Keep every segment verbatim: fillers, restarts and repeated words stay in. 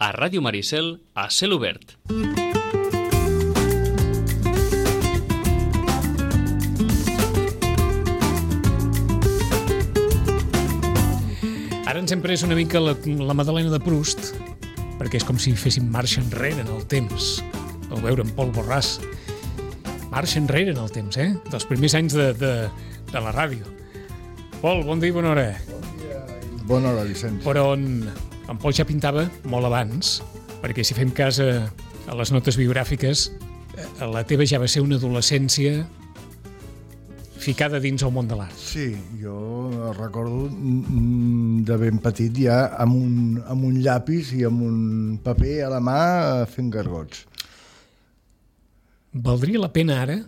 a Ràdio Maricel, a Cel Obert. Ara ens hem pres una mica la, la Madalena de Proust, perquè és com si féssim marxa enrere en el temps, o veure en Pol Borràs. Marxa enrere en el temps, eh? Dels primers anys de, de, de la ràdio. Pol, bon dia i bona hora. Bon dia i bona hora, Vicenç. Però en, en Pol ja pintava molt abans, perquè si fem cas a, a les notes biogràfiques, la teva ja va ser una adolescència ficada dins el món de l'art. Sí, jo recordo de ben petit ja amb un, amb un llapis i amb un paper a la mà fent gargots. Valdria la pena ara,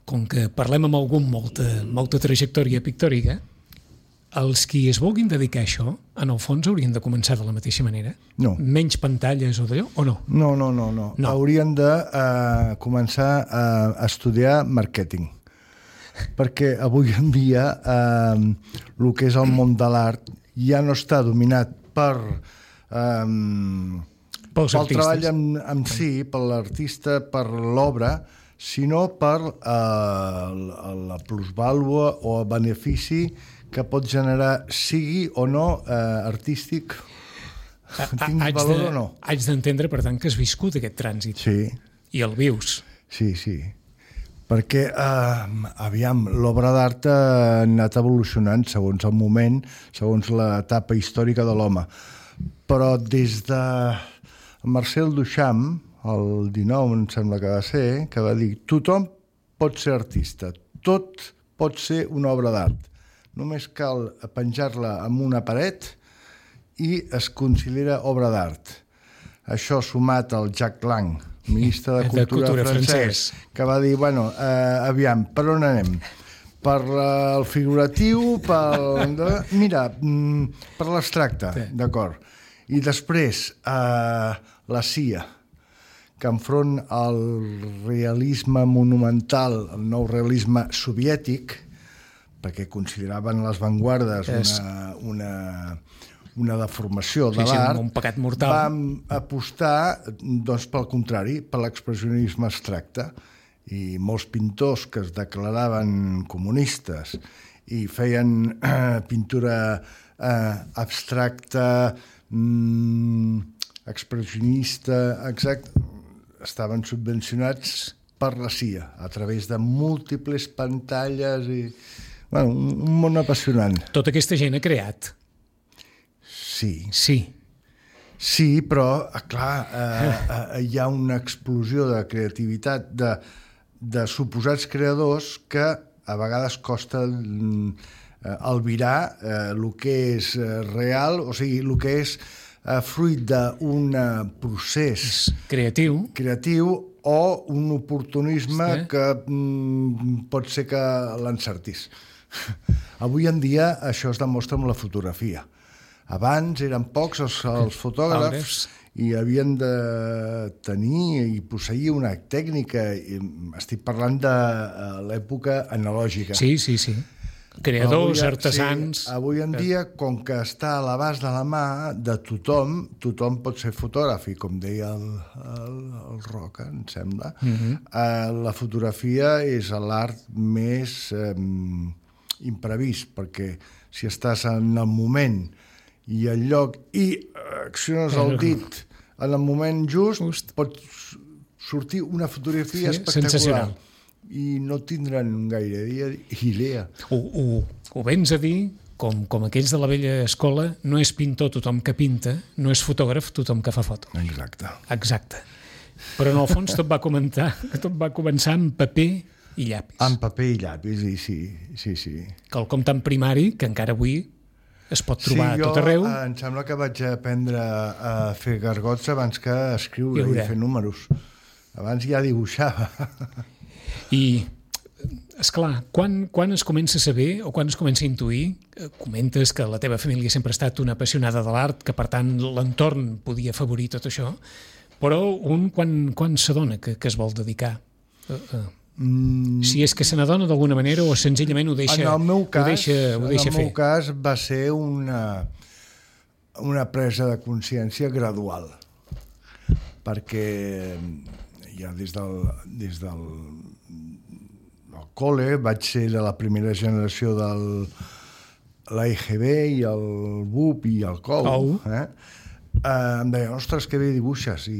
com que parlem amb algú amb molta, molta trajectòria pictòrica, els qui es vulguin dedicar a això, en el fons haurien de començar de la mateixa manera? No. Menys pantalles o d'allò, o no? No, no, no. no. no. Haurien de uh, començar a estudiar màrqueting. Perquè avui en dia eh, el que és el món de l'art ja no està dominat per eh, pel treball en, en si, per l'artista, per l'obra, sinó per eh, la plusvàlua o el benefici que pot generar, sigui o no eh, artístic, tingui valor o no. Haig d'entendre, per tant, que has viscut aquest trànsit. Sí. I el vius. Sí, sí. Perquè, eh, aviam, l'obra d'art ha anat evolucionant segons el moment, segons l'etapa històrica de l'home. Però des de Marcel Duchamp, el dinou, em sembla que va ser, que va dir tothom pot ser artista, tot pot ser una obra d'art. Només cal penjar-la en una paret i es considera obra d'art. Això sumat al Jack Lang, ministre de Cultura, de Cultura francès, francès, que va dir, bueno, eh, aviam, per on anem? Per uh, el figuratiu, pel... Mira, mm, per l'abstracte, sí. D'acord. I després, eh, la C I A, que enfront al realisme monumental, el nou realisme soviètic, perquè consideraven les vanguardes és... una... una una deformació de sí, l'art, sí, un pecat mortal. Vam apostar, doncs, pel contrari, per l'expressionisme abstracte. I molts pintors que es declaraven comunistes i feien eh, pintura eh, abstracta, mm, expressionista, exacte, estaven subvencionats per la C I A, a través de múltiples pantalles i... Bueno, un, un món apassionant. Tota aquesta gent ha creat. Sí. Sí. Sí, però, clar, eh, eh, hi ha una explosió de creativitat de, de suposats creadors que a vegades costa eh, albirar eh, el que és eh, real, o sigui, el que és eh, fruit d'un procés creatiu creatiu o un oportunisme sí. que mm, pot ser que l'encertis. Avui en dia això es demostra amb la fotografia. Abans eren pocs els, els fotògrafs i havien de tenir i posseir una tècnica. Estic parlant de l'època analògica. Sí, sí, sí. Creadors, avui, artesans... Sí, avui en dia, com que està a l'abast de la mà de tothom, tothom pot ser fotògraf, i com deia el, el, el Roca, em sembla, uh-huh. eh, la fotografia és l'art més eh, imprevist, perquè si estàs en el moment i el lloc i acciones el dit en el moment just, just. pot sortir una fotografia sí, espectacular i no tindran gaire idea. Ho, ho, ho vens a dir, com, com aquells de la vella escola, no és pintor tothom que pinta, no és fotògraf tothom que fa foto. Exacte. Exacte. Però en el fons tot va comentar, tot va començar amb paper i llapis. Amb paper i llapis, i sí, sí, sí. Quelcom tan primari que encara avui es pot trobar sí, a tot arreu. Sí, jo em sembla que vaig aprendre a fer gargots abans que a escriure i, i fer números. Abans ja dibuixava. I, esclar, quan, quan es comença a saber o quan es comença a intuir, comentes que la teva família sempre ha estat una apassionada de l'art, que per tant l'entorn podia afavorir tot això, però un quan, quan s'adona que, que es vol dedicar? Uh, uh. Mm. Si és que se n'adona d'alguna manera o senzillament ho deixa, en el meu cas, ho deixa, ho deixa en el fer? meu cas va ser una, una presa de consciència gradual. perquè ja des del, des del, del col·le vaig ser de la primera generació del l'A I G B i el B U P i el C O U, eh? Uh, em deien, ostres, que bé dibuixes, i,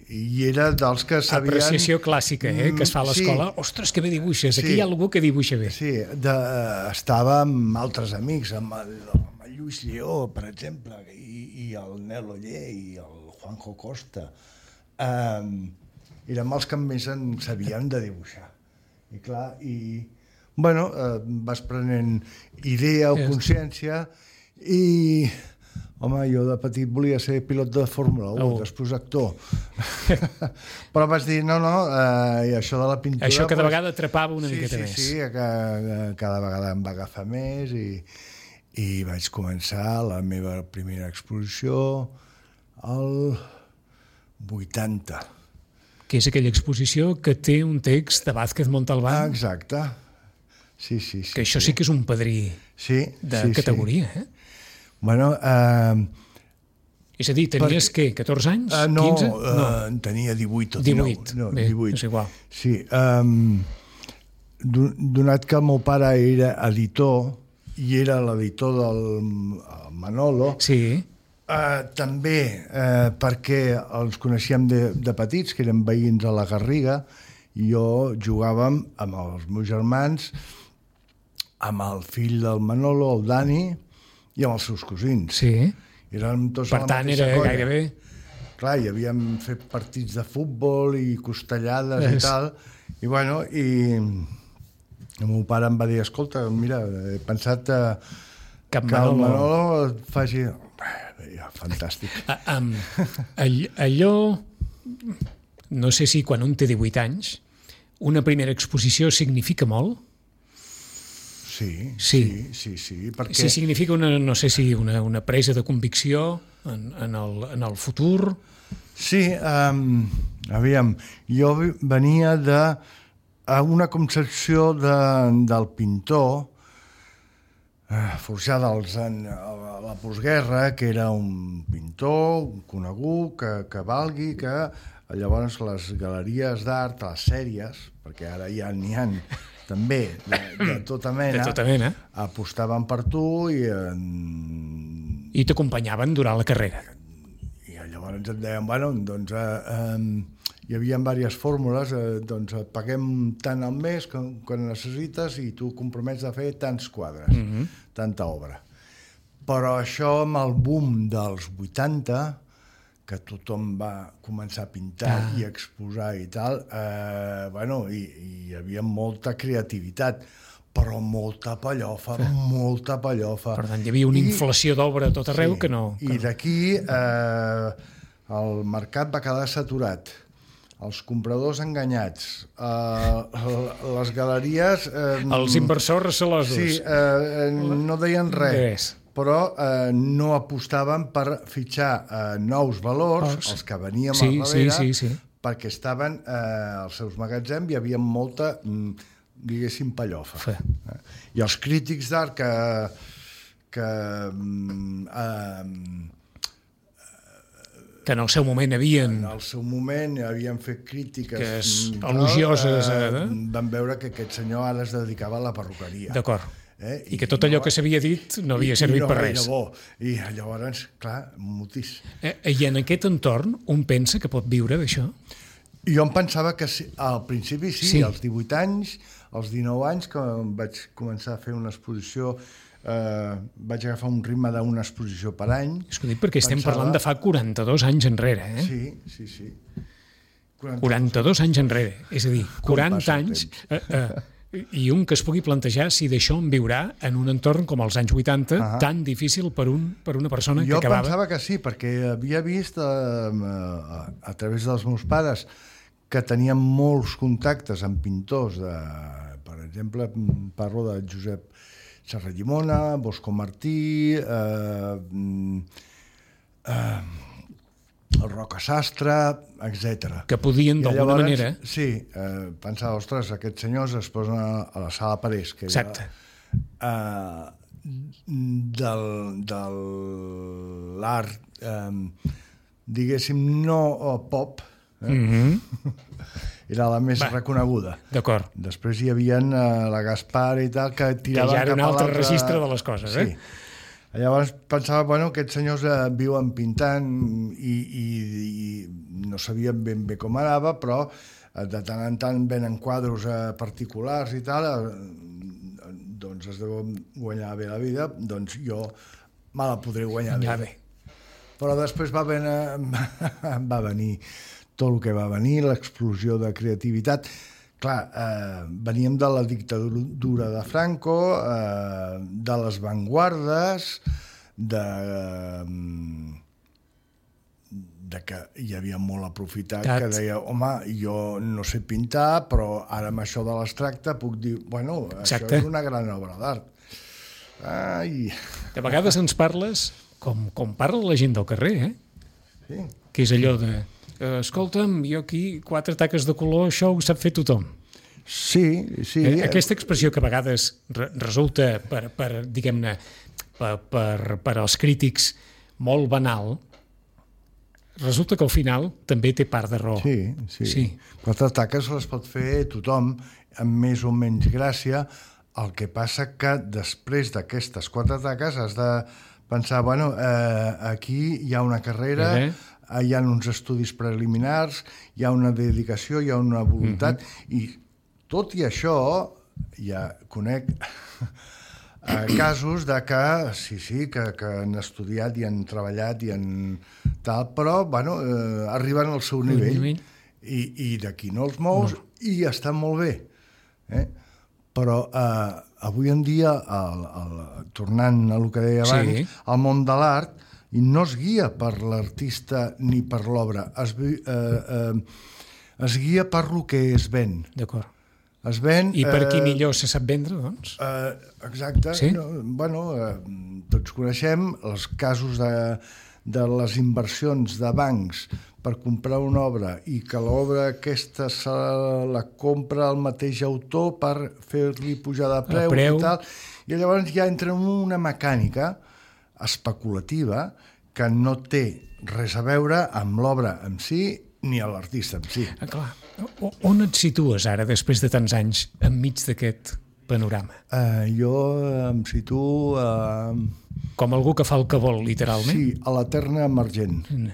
i, i era dels que sabien... Apreciació clàssica, eh, que es fa a l'escola. Sí. Ostres, que bé dibuixes, aquí sí. Hi ha algú que dibuixa bé. Sí, de, uh, estava amb altres amics, amb el, amb el Lluís Lleó, per exemple, i, i el Nel Oller, i el Juanjo Costa. Um, érem els que més en sabien de dibuixar. I clar, i... Bueno, uh, vas prenent idea o consciència, i... Home, jo de petit volia ser pilot de Fórmula un, oh. després actor. Però vas dir, no, no, eh, això de la pintura... Això cada pues, vegada atrapava una sí, miqueta sí, més. Sí, sí, cada, cada vegada em va agafar més i, i vaig començar la meva primera exposició al vuitanta. Que és aquella exposició que té un text de Vázquez Montalbán. Ah, exacte. Sí, sí, sí. Que això sí, sí que és un padrí sí, de sí, categoria, sí. eh? Bueno, eh... És a dir, tenies, per... què, catorze anys? Uh, no, quinze? Uh, no, tenia divuit o dinou. divuit, no, bé, divuit. és igual. Sí, um, donat que el meu pare era editor, i era l'editor del Manolo, sí. uh, també uh, perquè els coneixíem de, de petits, que eren veïns a la Garriga, i jo jugàvem amb els meus germans, amb el fill del Manolo, el Dani, i amb els seus cosins. Sí. Érem tots per tant, era colla. Gairebé... Clar, hi havíem fet partits de futbol i costellades és... i tal, i bueno, i el meu pare em va dir, escolta, mira, he pensat eh, que Manolo... el Manolo faci... Ja, fantàstic. A, um, all, allò... No sé si quan un té divuit anys, una primera exposició significa molt? Sí, sí, sí, sí, sí, perquè... Sí, significa una, no sé si una, una presa de convicció en, en, el, en el futur. Sí, um, aviam, jo venia de una concepció de, del pintor eh, forjada als, en, a la postguerra, que era un pintor conegut, que, que valgui, que llavors les galeries d'art, les sèries, perquè ara ja n'hi ha també de, de tota mena, de tota mena, apostaven per tu i... En... I t'acompanyaven durant la carrera. I llavors et deien, bueno, doncs eh, eh, hi havia diverses fórmules, eh, doncs et paguem tant al mes que, que necessites i tu compromets a fer tants quadres, mm-hmm. tanta obra. Però això amb el boom dels vuitanta, que tothom va començar a pintar ah. i exposar i tal, eh, bueno, i, i hi havia molta creativitat, però molta pallofa, molta pallofa. Per tant, hi havia una I, inflació d'obra a tot arreu sí, que no... Que I d'aquí eh, el mercat va quedar saturat, els compradors enganyats, eh, les galeries... Eh, els inversors recelosos. Sí, eh, no deien res. res. Però eh, no apostaven per fitxar eh, nous valors, oh, els que veníem sí, al darrere, sí, sí, sí. perquè estaven eh, als seus magatzems i hi havia molta, diguéssim, pallofa. Sí. Eh? I els crítics d'art que, que, eh, que en el seu moment havien... En el seu moment havien fet crítiques que és elogioses. Eh, van veure que aquest senyor ara es dedicava a la perruqueria. D'acord. Eh? I, I que tot allò no, que s'havia dit no havia servit no per res. Bo. I llavors, clar, mutis. Eh, I en aquest entorn, un pensa que pot viure d'això? Jo em pensava que sí, al principi sí, sí, als divuit anys, als dinou anys, que vaig començar a fer una exposició, eh, vaig agafar un ritme d'una exposició per any. És que ho dic perquè estem pensava... parlant de fa quaranta-dos anys enrere, eh? Sí, sí, sí. quaranta-dos, quaranta-dos anys enrere, és a dir, quaranta anys... Eh, eh, i un que es pugui plantejar si d'això en viurà en un entorn com els anys vuitanta, uh-huh. tan difícil per, un, per una persona jo que acabava... Jo pensava que sí, perquè havia vist eh, a, a través dels meus pares que tenien molts contactes amb pintors, de, per exemple, parlo de Josep Serrallimona, Bosco Martí, eh, eh, el Roca Sastre, etcètera. Que podien, d'alguna manera... Sí, eh, pensava, ostres, aquests senyors es posen a, a la sala Parés, que exacte. Era, eh, del, de l'art eh, diguéssim, no pop, eh? Mm-hmm. Era la més Va. reconeguda. D'acord. Després hi havia uh, la Gaspar i tal, que Que tiraven ja era cap un a altre l'altre... registre de les coses, sí. eh? Llavors pensava, bueno, aquests senyors eh, viuen pintant i, i, i no sabien ben bé com anava, però eh, de tant en tant venen quadros eh, particulars i tal, eh, doncs es deuen guanyar bé la vida, doncs jo me la podré guanyar Ja bé. bé. Però després va venir, va venir tot el que va venir, l'explosió de creativitat. Clar, eh, veníem de la dictadura de Franco, eh, de les vanguardes, de, eh, de que hi havia molt aprofitat, Tat. que deia, home, jo no sé pintar, però ara amb això de l'abstracte puc dir, bueno, Exacte. això és una gran obra d'art. Ai... De vegades ens parles com, com parla la gent del carrer, eh? Sí. Que és allò de... Eh, escolta'm, jo aquí quatre taques de color, això ho sap fer tothom. Sí, sí. Eh, aquesta expressió que a vegades re resulta per, per diguem-ne, per, per, per als crítics molt banal, resulta que al final també té part de raó. Sí, sí. Sí. Quatre taques les pot fer tothom, amb més o menys gràcia. El que passa que després d'aquestes quatre taques has de pensar, bueno, eh, aquí hi ha una carrera, Eh? hi ha uns estudis preliminars, hi ha una dedicació, hi ha una voluntat, uh-huh. i tot i això, ja conec eh, casos de que, sí, sí, que, que han estudiat i han treballat i han tal, però, bueno, eh, arriben al seu nivell, nivell. i, i d'aquí no els mous, no. I estan molt bé. Eh? Però eh, avui en dia, el, el, tornant a el que deia abans, Sí. el món de l'art i no es guia per l'artista ni per l'obra, es, eh, eh, es guia per lo que es ven. D'acord. Es ven... I per qui eh, millor se sap vendre, doncs? Eh, exacte. Sí? No, bueno, eh, tots coneixem els casos de, de les inversions de bancs per comprar una obra i que l'obra aquesta se la compra el mateix autor per fer-li pujar de preu, preu. I tal. I llavors ja entra en una mecànica especulativa que no té res a veure amb l'obra en si ni a l'artista en si. Ah, clar. O, on et situes ara, després de tants anys, enmig d'aquest panorama? Uh, jo em situo... Uh, Com algú que fa el que vol, literalment? sí, a l'eterna emergent. Mm.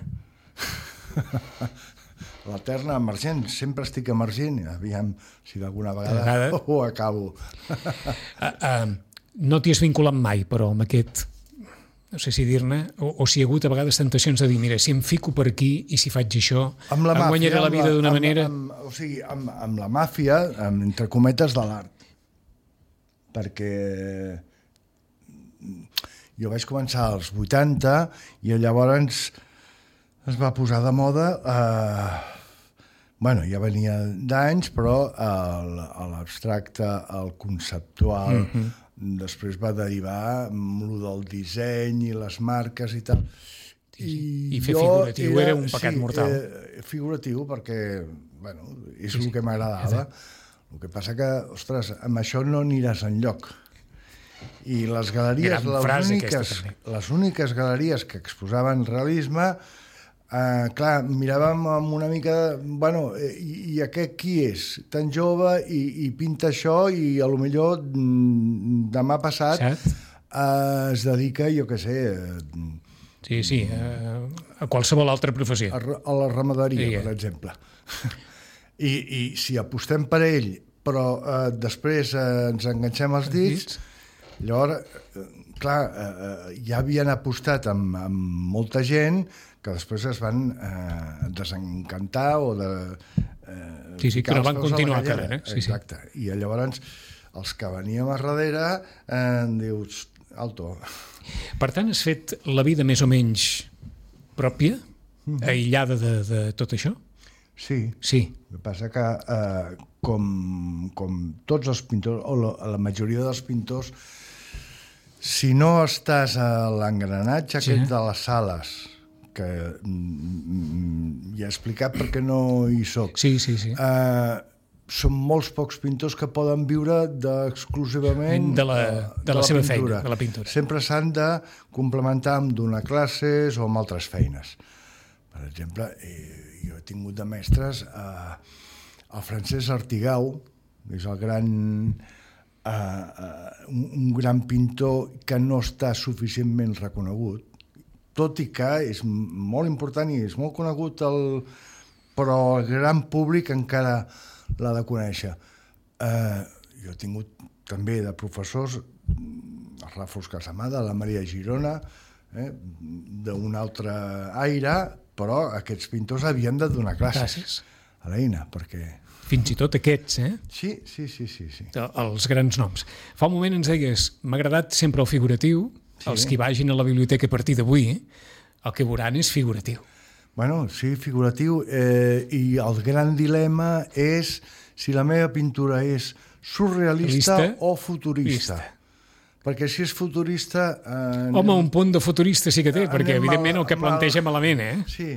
L'eterna emergent. Sempre estic emergent. Aviam si d'alguna vegada, vegada... ho acabo. uh, uh, no t'hi has vinculat mai, però amb aquest... no sé si dir-ne, o, o si hi ha hagut a vegades tentacions de dir, mira, si em fico per aquí i si faig això, Amb la em màfia, guanyaré la amb vida d'una amb, manera... Amb, o sigui, amb, amb la màfia, amb, entre cometes, de l'art. Perquè jo vaig començar als vuitanta i llavors es va posar de moda... Eh, bueno, ja venia d'anys, però l'abstracte, el conceptual... Mm-hmm. Després va derivar amb lo del disseny i les marques i tal. I, I fer figuratiu era, era un pecat sí, mortal. Eh, figuratiu perquè, bueno, és sí, el que m'agradava. El que passa que, ostres, amb això no aniràs enlloc. I les galeries, les úniques, les úniques galeries que exposaven realisme, Uh, clar, miràvem amb una mica de, bueno, i, i aquest qui és? Tan jove i, i pinta això i a lo millor demà passat uh, es dedica, jo què sé... Uh, sí, sí, uh, a qualsevol altra professió. A, a la ramaderia, sí, per exemple. I, I si apostem per ell, però uh, després uh, ens enganxem els dits, llavors, uh, clar, uh, ja havien apostat amb, amb molta gent que després es van eh, desencantar o de... Eh, sí, sí, que no van continuar a carrera. Eh? Sí, exacte. Sí. I llavors els que veníem a darrere eh, dius, alto. Per tant, has fet la vida més o menys pròpia, mm-hmm. aïllada de, de tot això? Sí. Sí. El que passa que eh, com, com tots els pintors, o la, la majoria dels pintors, si no estàs a l'engranatge sí. aquest de les sales, que mm, ja he explicat perquè no hi soc. Sí, sí, sí. Uh, són molts pocs pintors que poden viure de, exclusivament de la, de de la, la seva pintura. feina, de la pintura. Sempre s'han de complementar amb donar classes o amb altres feines. Per exemple, eh, jo he tingut de mestres eh, el Francesc Artigau, és el gran, eh, eh, un, un gran pintor que no està suficientment reconegut, tot i que és molt important i és molt conegut, el, però el gran públic encara l'ha de conèixer. Eh, jo he tingut també de professors, el Ràfols Casamada, la Maria Girona, eh, d'un altre aire, però aquests pintors havien de donar classes, classes. a l'Eina, perquè... Fins i tot aquests, eh? Sí, sí, sí, sí, sí. Els grans noms. Fa un moment ens deies, m'ha agradat sempre el figuratiu, sí. Els que vagin a la biblioteca a partir d'avui, el que veuran és figuratiu. Bueno, sí, figuratiu, eh, i el gran dilema és si la meva pintura és surrealista Realista, o futurista. Vista. Perquè si és futurista... Eh, Home, un punt de futurista sí que té, perquè evidentment el que planteja malament, eh? Sí,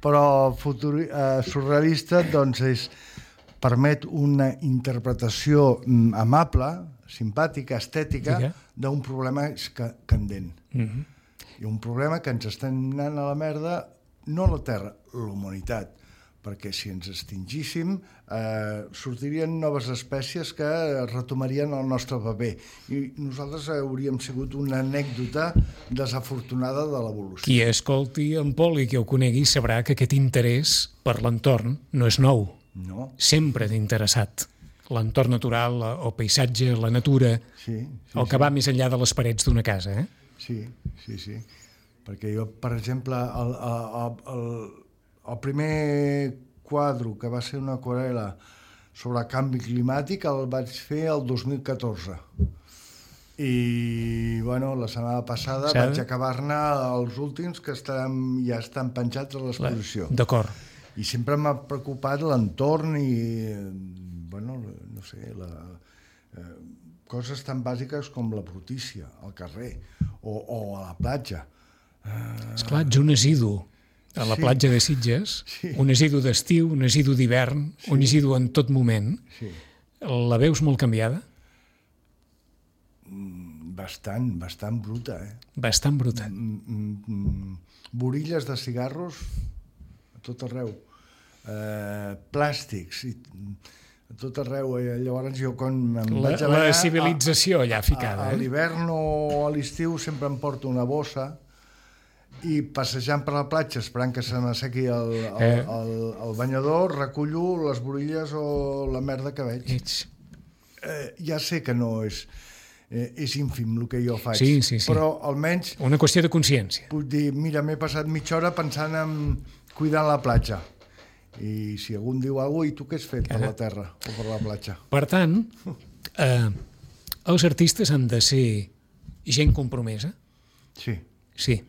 però futuri, eh, surrealista doncs és, permet una interpretació amable, simpàtica, estètica, sí, eh? d'un problema que, candent. Mm-hmm. I un problema que ens estem anant a la merda, no la Terra, la humanitat, perquè si ens extingíssim eh, sortirien noves espècies que retomarien el nostre paper i nosaltres hauríem sigut una anècdota desafortunada de l'evolució. Qui escolti en Pol i qui ho conegui sabrà que aquest interès per l'entorn no és nou. No. Sempre t'ha interessat l'entorn natural, el paisatge, la natura, sí, sí, el que sí. va més enllà de les parets d'una casa, eh? Sí, sí, sí. Perquè jo, per exemple, el, el, el, el primer quadre, que va ser una aquarel·la sobre canvi climàtic, el vaig fer el dos mil catorze. I, bueno, la setmana passada Sada? vaig acabar-ne els últims que estan, ja estan penjats a l'exposició. D'acord. I sempre m'ha preocupat l'entorn i, bueno, no sé, la, eh, coses tan bàsiques com la brutícia al carrer o, o a la platja. Uh... Esclar, ets un asidu a la sí. platja de Sitges, sí. un asidu d'estiu, un asidu d'hivern, sí. un asidu en tot moment. Sí. La veus molt canviada? Bastant, bastant bruta, eh? Bastant bruta. Mm, mm, borilles de cigarros a tot arreu. Eh, plàstics, i, a tot arreu. Eh? Llavors jo quan em la, vaig a la civilització allà ficada. A, a, a l'hivern o a l'estiu sempre em porto una bossa i passejant per la platja esperant que se m'assequi el, el, eh. el, el banyador, recullo les borilles o la merda que veig. Eh, ja sé que no és, eh, és ínfim el que jo faig, sí, sí, sí. però almenys... Una qüestió de consciència. Puc dir, mira, m'he passat mitja hora pensant en cuidar la platja. I si algú em diu alguna cosa, i tu què has fet per la terra o per la platja? Per tant, eh, els artistes han de ser gent compromesa? Sí. Sí.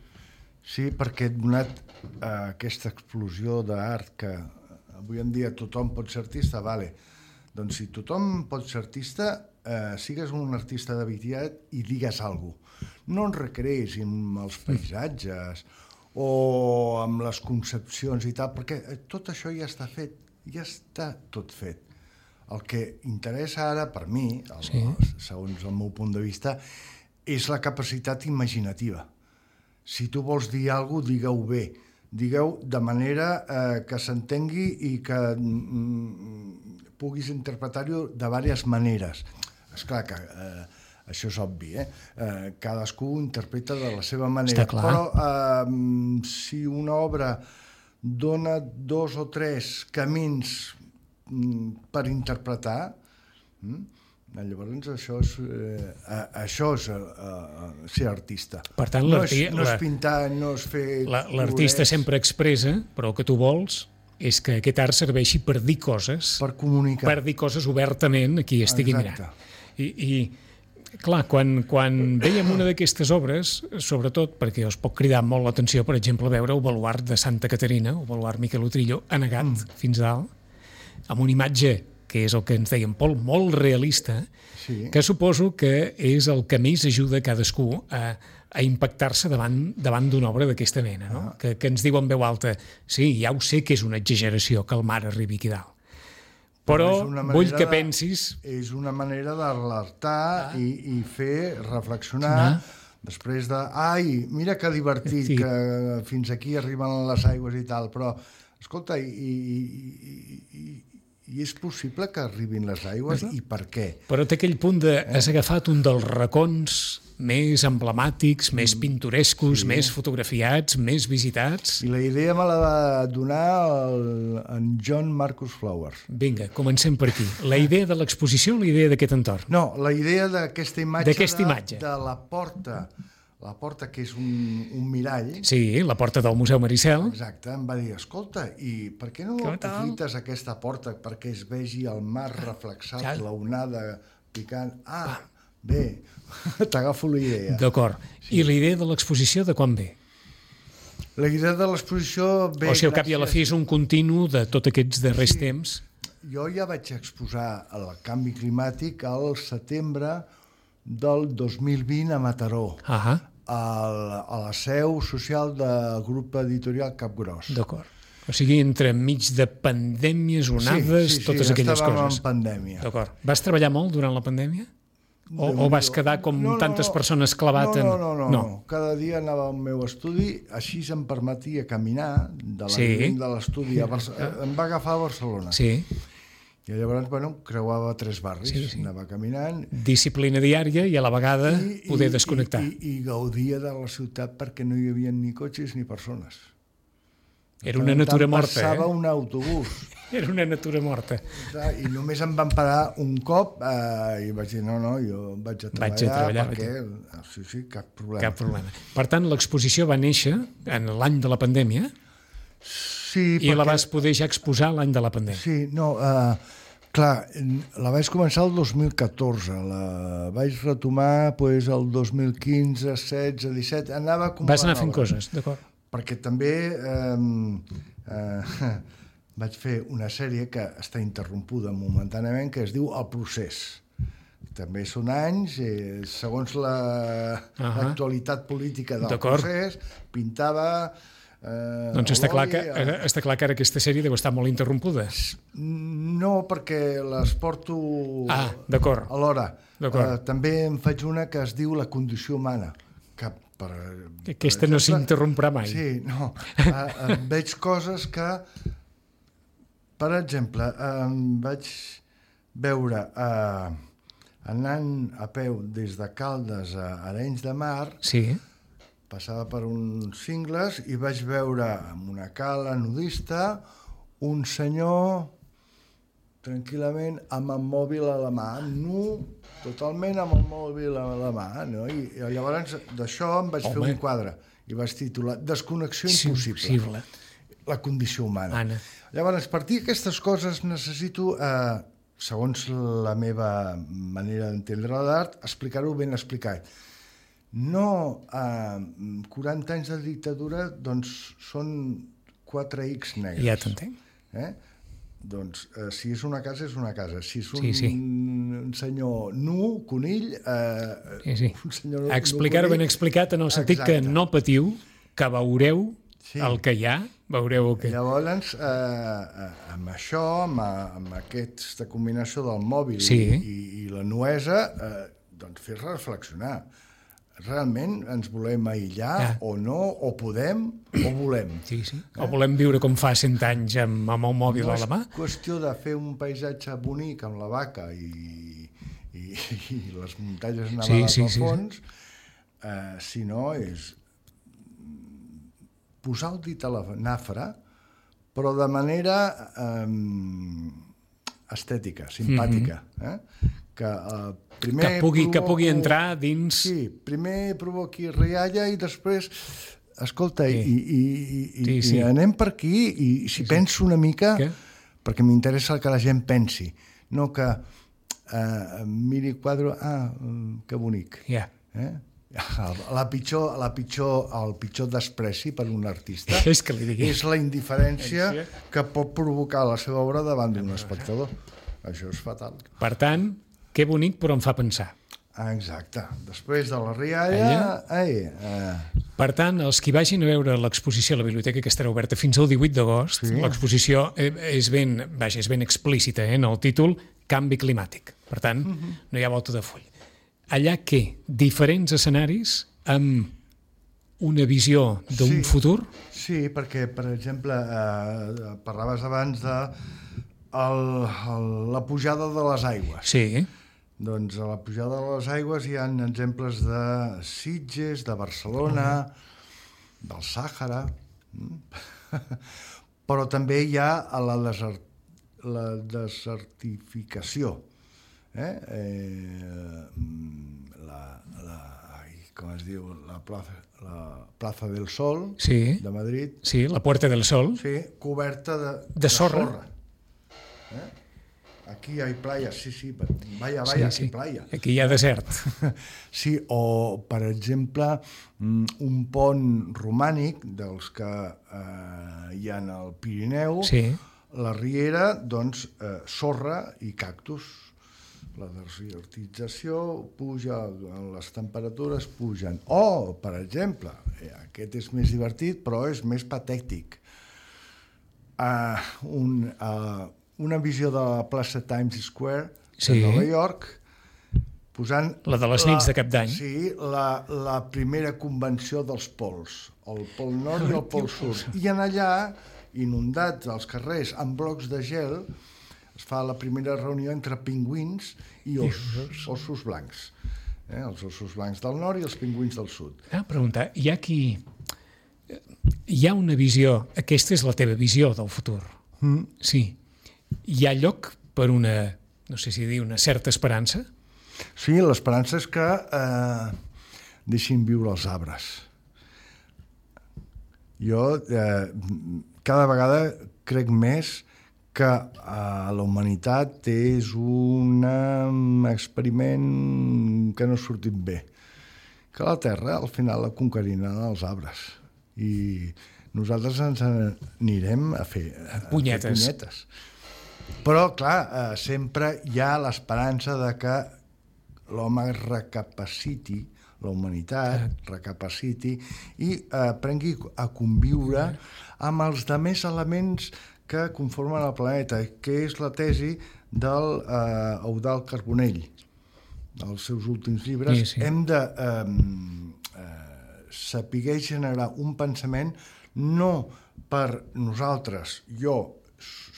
Sí, perquè donat eh, aquesta explosió d'art que avui en dia tothom pot ser artista, vale. Doncs si tothom pot ser artista, eh, sigues un artista de veritat i digues alguna cosa. No ens recreïs amb els paisatges o amb les concepcions i tal, perquè tot això ja està fet, ja està tot fet. El que interessa ara, per mi, el, sí. segons el meu punt de vista, és la capacitat imaginativa. Si tu vols dir alguna cosa, digue-ho bé. Digueu de manera eh, que s'entengui i que mm, puguis interpretar-ho de diverses maneres. Esclar que eh, això és obvi, eh? eh? Cadascú interpreta de la seva manera. Però eh, si una obra dona dos o tres camins mm, per interpretar, mm, llavors això és, eh, això és eh, ser artista. Per tant, no, és, no és pintar, no és fer... L'artista sempre expressa, però el que tu vols és que aquest art serveixi per dir coses. Per comunicar. Per dir coses obertament a qui estigui Exacte. mirant. I, i clar, quan, quan veiem una d'aquestes obres, sobretot perquè us pot cridar molt l'atenció, per exemple, veure el baluart de Santa Caterina, el baluart Miquel Utrillo, anegat mm. fins dalt, amb una imatge que és el que ens deia en Pol, molt realista, sí. que suposo que és el que més ajuda cadascú a, a impactar-se davant, davant d'una obra d'aquesta mena, no? Ah. que, que ens diu en veu alta, sí, ja ho sé que és una exageració que el mar arribi aquí dalt, però vull que pensis... És una manera d'alertar ah. i, i fer reflexionar ah. Després de, ai, mira que divertit, Sí. que fins aquí arriben les aigües i tal, però, escolta, i, i, i, i, i és possible que arribin les aigües? I per què? Però té aquell punt de has agafat un dels racons més emblemàtics, més pintorescos, Sí. més fotografiats, més visitats. I la idea me la va donar el, en John Marcus Flowers. Vinga, comencem per aquí. La idea de l'exposició o la idea d'aquest entorn? No, la idea d'aquesta imatge, D'aquesta de, imatge. de la porta, la porta que és un, un mirall, Sí, la porta del Museu Maricel. exacte, em va dir, escolta, i per què no Què tal? aprofites aquesta porta perquè es vegi el mar reflexat, Ja. la onada picant? Ah, bé, t'agafo la idea. D'acord. I la idea de l'exposició de quan ve? La idea de l'exposició ve... O sigui, al cap i a la fi gràcies- és un continu de tots aquests darrers Sí. temps. Jo ja vaig exposar el canvi climàtic al setembre del dos mil vint a Mataró, Ah, al, a la seu social del grup editorial Capgròs. d'acord. O sigui, entre mig de pandèmies, onades, sí, sí, sí, totes aquelles estàvem coses. en pandèmia. D'acord. Vas treballar molt durant la pandèmia? O, o vas quedar com No, no, tantes no. persones clavat en... No, no, no, no, no. Cada dia anava al meu estudi, així em permetia caminar de l'avinent Sí. de l'estudi a Barcelona. Em va agafar a Barcelona. Sí, I llavors, bueno, creuava tres barris, Sí, sí. anava caminant. disciplina diària i a la vegada poder desconnectar. I, i, I gaudia de la ciutat perquè no hi havia ni cotxes ni persones. Era una natura morta, Passava eh? un autobús. Era una natura morta. Clar, I només em van parar un cop eh, i vaig dir, no, no, jo vaig a treballar, Vaig a treballar, perquè... Sí, sí, cap problema. Cap problema. Per tant, l'exposició va néixer en l'any de la pandèmia Sí, i la vas poder ja exposar l'any de la pandèmia. Sí, no, uh, clar, la vaig començar el dos mil catorze, la vaig retomar pues, el dos mil quinze, setze, disset, anava com Vas anar fent coses, d'acord. Perquè també eh, eh, vaig fer una sèrie que està interrompuda momentàniament, que es diu El procés. També són anys, eh, segons l'actualitat política del D'acord. procés, pintava... Eh, Doncs està clar, l'oli, que, eh, està clar que ara aquesta sèrie deu estar molt interrompuda. No, perquè les porto Ah, d'acord. alhora. D'acord. Uh, també en faig una que es diu La condició humana, que per, Que aquesta per no s'interromprà mai. Sí, no. Uh, uh, veig coses que, per exemple, uh, vaig veure uh, anant a peu des de Caldes a Arenys de Mar, Sí, passava per uns cingles i vaig veure en una cala nudista un senyor tranquil·lament amb el mòbil a la mà, nu, totalment amb el mòbil a la mà, no? I, i llavors d'això em vaig Home. fer un quadre i vaig titular Desconnexió sí, impossible, possible. la condició humana. Anna. Llavors, a partir d'aquestes coses necessito, eh, segons la meva manera d'entendre l'art, explicar-ho ben explicat. No, eh, quaranta anys de dictadura, doncs, són quatre ics negres. Ja t'entenc. Eh? Doncs, eh, si és una casa, és una casa. Si és un, Sí, sí. un senyor nu, conill... Eh, Sí, sí. un senyor nu, Explicar-ho ben conill, explicat en el sentit que Exacte. no patiu, que veureu Sí. el que hi ha, veureu el que... Llavors, eh, eh, amb això, amb, amb aquesta combinació del mòbil Sí. i, i la nuesa, eh, doncs fer reflexionar. Realment ens volem aïllar Ja. o no, o podem o volem. Sí, sí. O volem viure com fa cent anys amb, amb el mòbil No a la mà? és qüestió de fer un paisatge bonic amb la vaca i, i, i les muntanyes nevades sí, al sí, fons, eh, sinó és posar el dit a la nafra, però de manera eh, estètica, simpàtica. Eh? Que, eh, primer Que pugui, que provoco- pugui entrar dins... Sí, primer provoqui rialla i després escolta, Sí. i, i, i, Sí, i, sí. i anem per aquí i si penso una mica, Què? perquè m'interessa el que la gent pensi, no que eh, miri el quadre, ah, mm, que bonic. Ja. Eh? La pitjor, la pitjor, el pitjor despreci per un artista És que li digui. és la indiferència que pot provocar la seva obra davant d'un espectador. Això és fatal. Per tant, que bonic, però em fa pensar. Ah, exacte. Després de la rialla... Ai, eh, Per tant, els que vagin a veure l'exposició a la biblioteca, que estarà oberta fins al divuit d'agost, Sí. l'exposició eh, és ben, vaja, és ben explícita eh, en el títol Canvi climàtic. Per tant, no hi ha volta de full. Allà què? Diferents escenaris amb una visió d'un Sí. futur? Sí, perquè, per exemple, eh, parlaves abans de el, el, la pujada de les aigües. Sí. Doncs a la pujada de les aigües hi ha exemples de Sitges, de Barcelona, del Sàhara, però també hi ha a la, desert, la desertificació. Eh? Eh, la, la, ai, com es diu? La plaça, la plaça del Sol, Sí. de Madrid, Sí, la Puerta del Sol. sí, coberta de, De sorra. Eh? Aquí hi ha playa, sí, sí, vaya, vaya, Sí, aquí sí. playa. Aquí hi ha desert. Sí, o, per exemple, un pont romànic dels que eh, hi ha al Pirineu, Sí. la riera, doncs, eh, sorra i cactus. La desertització puja, les temperatures pugen. O, per exemple, eh, aquest és més divertit, però és més patètic. Uh, un, uh, una visió de la plaça Times Square Sí. de Nova York, posant... La de les nits de Cap d'Any. Sí, la, la primera convenció dels pols, el pol nord i el pol sud. I en allà, inundats els carrers amb blocs de gel, es fa la primera reunió entre pingüins i ossos, ossos blancs. Eh? Els ossos blancs del nord i els pingüins del sud. Ah, preguntar, hi ha qui... Hi ha una visió, aquesta és la teva visió del futur. Mm. Sí. Hi ha lloc per una, no sé si dir, una certa esperança? Sí, l'esperança és que eh, deixin viure els arbres. Jo eh, cada vegada crec més que eh, la humanitat és un experiment que no ha sortit bé. Que la Terra al final la conqueriran els arbres. I nosaltres ens anirem a fer, a Punyetes. fer punyetes. Però, clar, eh, sempre hi ha l'esperança de que l'home recapaciti, la humanitat recapaciti i eh, aprengui a conviure amb els demés elements que conformen el planeta, que és la tesi del eh, Eudald Carbonell, dels seus últims llibres. Sí, sí. Hem de eh, eh, saber generar un pensament no per nosaltres, jo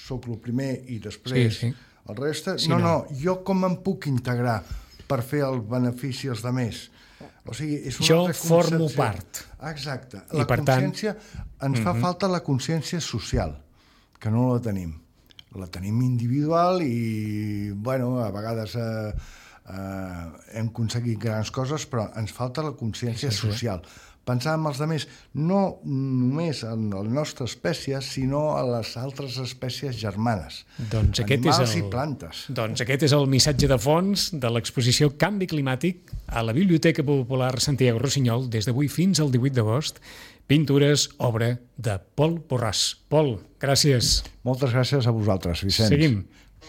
sóc el primer i després Sí, sí. el reste, Sí, no, no. no, jo com em puc integrar per fer el benefici als altres. O sigui, és una Jo altra formo concepció. part. Exacte. I La per tant- consciència, ens fa falta la consciència social, que no la tenim. La tenim individual i, bueno, a vegades eh, eh, hem aconseguit grans coses, però ens falta la consciència Sí, sí, sí. social. Pensar en els altres, no només en la nostra espècie, sinó a les altres espècies germanes. Doncs aquest és animals el... i plantes. Doncs aquest és el missatge de fons de l'exposició Canvi Climàtic a la Biblioteca Popular Santiago Rossinyol des d'avui fins al divuit d'agost. Pintures, obra de Pol Borràs. Pol, gràcies. Moltes gràcies a vosaltres, Vicenç. Seguim.